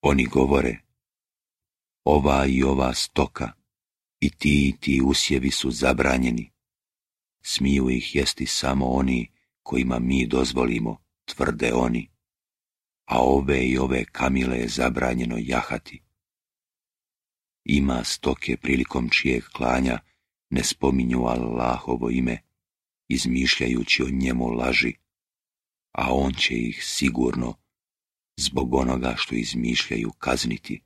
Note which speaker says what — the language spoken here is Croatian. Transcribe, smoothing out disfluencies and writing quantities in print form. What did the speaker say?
Speaker 1: Oni govore, ova i ova stoka, i ti usjevi su zabranjeni. Smiju ih jesti samo oni kojima mi dozvolimo, tvrde oni, a ove i ove kamile je zabranjeno jahati. Ima stoke prilikom čijeg klanja ne spominju Allahovo ime, izmišljajući o njemu laži, a on će ih sigurno zbog onoga što izmišljaju kazniti.